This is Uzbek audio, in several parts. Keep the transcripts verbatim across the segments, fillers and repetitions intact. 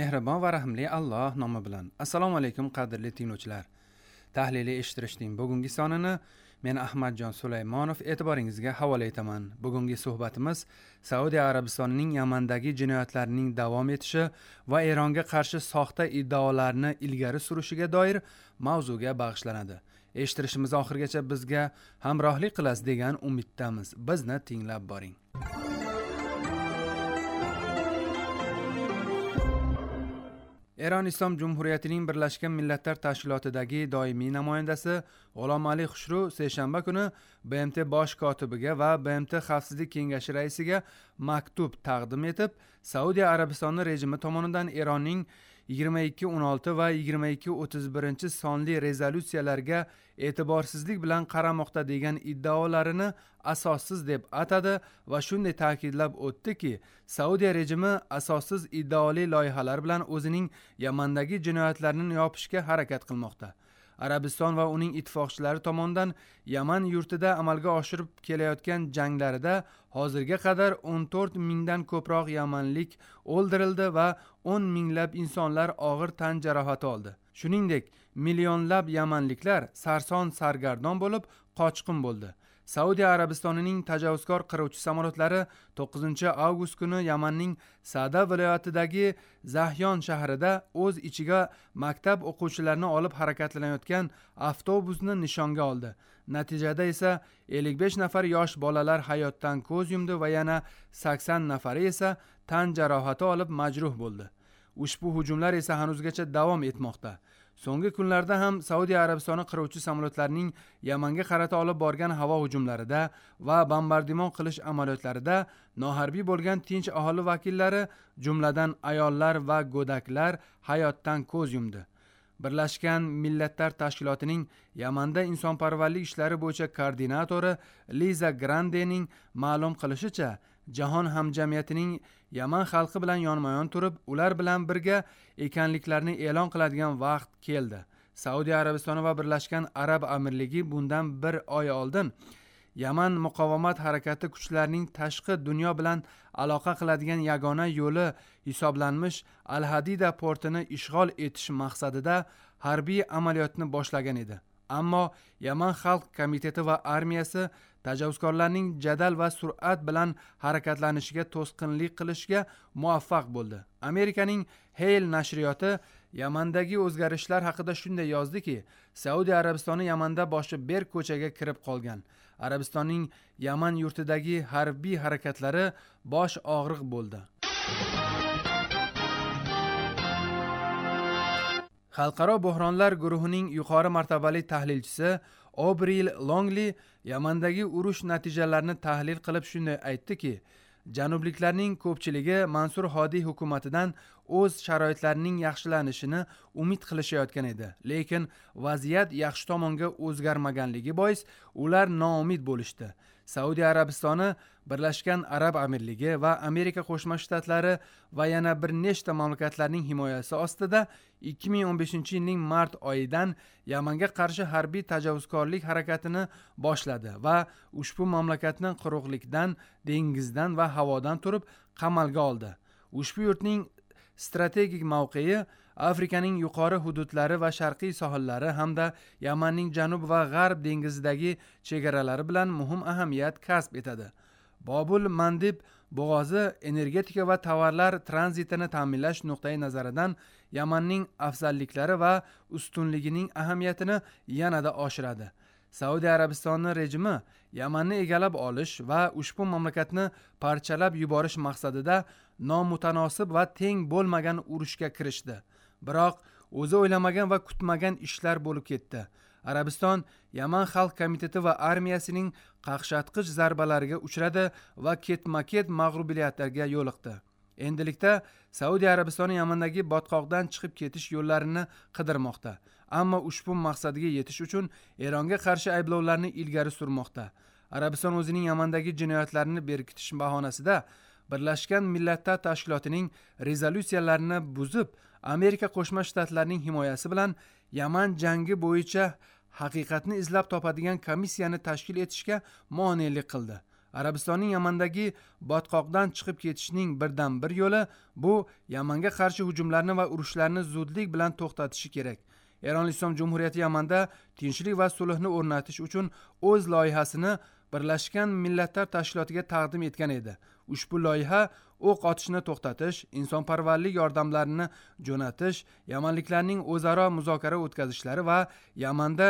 Mehribon va rahimli Alloh nomi bilan. Assalomu alaykum qadrli tinglovchilar. Tahliliy eshittirishning bugungi sonini men Ahmadjon Sulaymonov e'tiboringizga havola etaman. Bugungi suhbatimiz Saudiya Arabistonining Yamandagi jinoyatlarining davom etishi va Eronga qarshi soxta iddaolarni ilgari surishiga doir mavzuga bag'ishlanadi. Eshittirishimiz oxirigacha bizga hamrohlik qilasiz degan umiddamiz. Bizni tinglab boring. Eron Islom Jumhuriyatining Birlashgan Millatlar Tashkilotidagi doimiy namoyandasi G'ulomali Xushru seshanba kuni B M T bosh kotibiga va B M T Xavfsizlik kengashi raisiga maktub taqdim etib, Saudiya Arabistoni rejimi tomonidan Eronning yigirma ikki o'n olti va yigirma ikki o'ttiz birinchi sonli rezolyutsiyalarga e'tiborsizlik bilan qaramoqda degan iddaolarini asossiz deb atadi va shunday ta'kidlab o'tdiki, Saudiya rejimi asossiz iddaoli loyihalar bilan o'zining Yamandagi jinoyatlarini yopishga harakat qilmoqda. Arabiston va uning ittifoqchilari tomonidan Yaman yurtida amalga oshirib kelayotgan janglarida hozirga qadar o'n to'rt mingdan ko'proq yamanlik o'ldirildi va o'n minglab insonlar og'ir tan jarohati oldi. Shuningdek, millionlab yamanliklar sarson sargardon bo'lib qochqin bo'ldi. Saudiya Arabistonining tajovuzkor qiruvchi samolyotlari to'qqizinchi avgust kuni Yamanning Sada viloyatidagi Zahyon shahrida o'z ichiga maktab o'quvchilarini olib harakatlanayotgan avtobusni nishonga oldi. Natijada esa ellik besh nafar yosh bolalar hayotdan ko'z yumdi va yana sakson nafari esa tan jarohati olib majruh bo'ldi. Ushbu hujumlar esa hanuzgacha davom etmoqda. So'nggi kunlarda ham Saudiya Arabistoni qiruvchi samolyotlarining Yamanga qarata olib borgan havo hujumlarida va bombardimon qilish amaliyotlarida noharbiy bo'lgan tinch aholi vakillari, jumladan ayollar va go'daklar hayotdan ko'z yumdi. Birlashgan Millatlar Tashkilotining Yamanda insonparvarlik ishlari bo'yicha koordinatori Liza Grandening ma'lum qilishicha, jahon hamjamiyatining Yaman xalqi bilan yonma-yon turib, ular bilan birga ekanliklarini e'lon qiladigan vaqt keldi. Saudiya Arabistoni va Birlashgan Arab Amirligi bundan bir oy oldin Yaman muqovamat harakati kuchlarining tashqi dunyo bilan aloqa qiladigan yagona yo'li hisoblanmish Al-Hadida portini ishg'ol etish maqsadida harbiy amaliyotni boshlagan edi. Ammo Yaman xalq komiteti va armiyasi tajovuzkorlarning jadal va sur'at bilan harakatlanishiga to'sqinlik qilishga muvaffaq bo'ldi. Amerikaning Hale nashriyoti Yamandagi o'zgarishlar haqida shunday yozdiki, Saudiya Arabistoni Yamanda boshi berk ko'chaga kirib qolgan. Arabistonning Yaman yurtidagi harbiy harakatlari bosh og'riq bo'ldi. Xalqaro bo'hronlar guruhining yuqori martabali tahlilchisi Obril Longli Yamandagi urush natijalarini tahlil qilib shunday aytdiki, janubliklarning ko'pchiligi Mansur Hodiy hukumatidan o'z sharoitlarining yaxshilanishini umid qilishayotgan edi. Lekin vaziyat yaxshi tomonga o'zgarmaganligi bois ular noumid bo'lishdi. Saudiya Arabistoni, Birlashgan Arab Amirligi va Amerika Qo'shma Shtatlari va yana bir nechta mamlakatlarning himoyasi ostida ikki ming o'n beshinchi yilning mart oyidan Yamanga qarshi harbiy tajovuzkorlik harakatini boshladi va ushbu mamlakatni quruqlikdan, dengizdan va havodan turib qamalga oldi. Ushbu yurtning strategik mavqei Afrikaning yuqori hududlari va sharqiy sohillari hamda Yamanning janub va g'arb dengizidagi chegaralari bilan muhim ahamiyat kasb etadi. Bobul Mandib bo'g'ozi energetika va tovarlar tranzitini ta'minlash nuqtai nazaridan Yamanning afzalliklari va ustunligining ahamiyatini yanada oshiradi. Saudiya Arabistoni rejimi Yamanni egallab olish va ushbu mamlakatni parchalab yuborish maqsadida nomutanosib va teng bo'lmagan urushga kirishdi. Biroq o'zi o'ylamagan va kutmagan ishlar bo'lib ketdi. Arabiston Yaman xalq komiteti va armiyasining qaqshatqich zarbalariga uchradi va ketma-ket mag'lubiyatlarga yo'liqdi. Endilikda Saudiya Arabistoni Yamandagi botqoqdan chiqib ketish yo'llarini qidirmoqda. Ammo ushbu maqsadga yetish uchun Eronga qarshi ayblovlarni ilgari surmoqda. Arabiston o'zining Yamandagi jinoyatlarini berkitish bahonasida Birlashgan Millatlar Tashkilotining rezolyutsiyalarini buzib, Amerika Qo'shma Shtatlarining himoyasi bilan Yaman jangi bo'yicha haqiqatni izlab topadigan komissiyani tashkil etishga monelik qildi. Arabistonning Yamandagi botqoqdan chiqib ketishining birdan bir yo'li bu Yamanga qarshi hujumlarni va urushlarni zudlik bilan to'xtatishi kerak. Eron Islom Jumhuriyati Yamanda tinchlik va sulhni o'rnatish uchun o'z loyihasini Birlashgan Millatlar Tashkilotiga taqdim etgan edi. Ushbu loyiha o'q otishni to'xtatish, insonparvarlik yordamlarini jo'natish, yamanliklarning o'zaro muzokara o'tkazishlari va Yamanda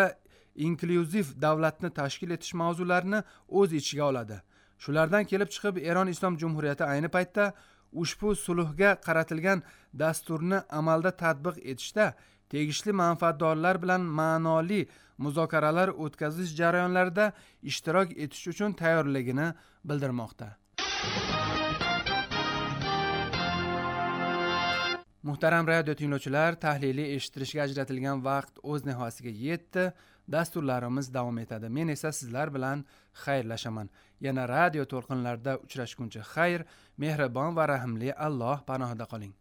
inklyuziv davlatni tashkil etish mavzularini o'z ichiga oladi. Shulardan kelib chiqib, Eron Islom Jumhuriyati ayni paytda ushbu sulhga qaratilgan dasturni amalda tatbiq etishda tegishli manfaatdorlar bilan ma'noli muzokaralar o'tkazish jarayonlarida ishtirok etish uchun tayyorligini bildirmoqda. Muhtaram radio tinglovchilar, tahliliy eshittirishga ajratilgan vaqt o'z nihoyasiga yetdi. Dasturlarimiz davom etadi. Men esa sizlar bilan xayrlashaman. Yana radio to'lqinlarida uchrashguncha xayr, mehribon va rahimli Alloh panohida qoling.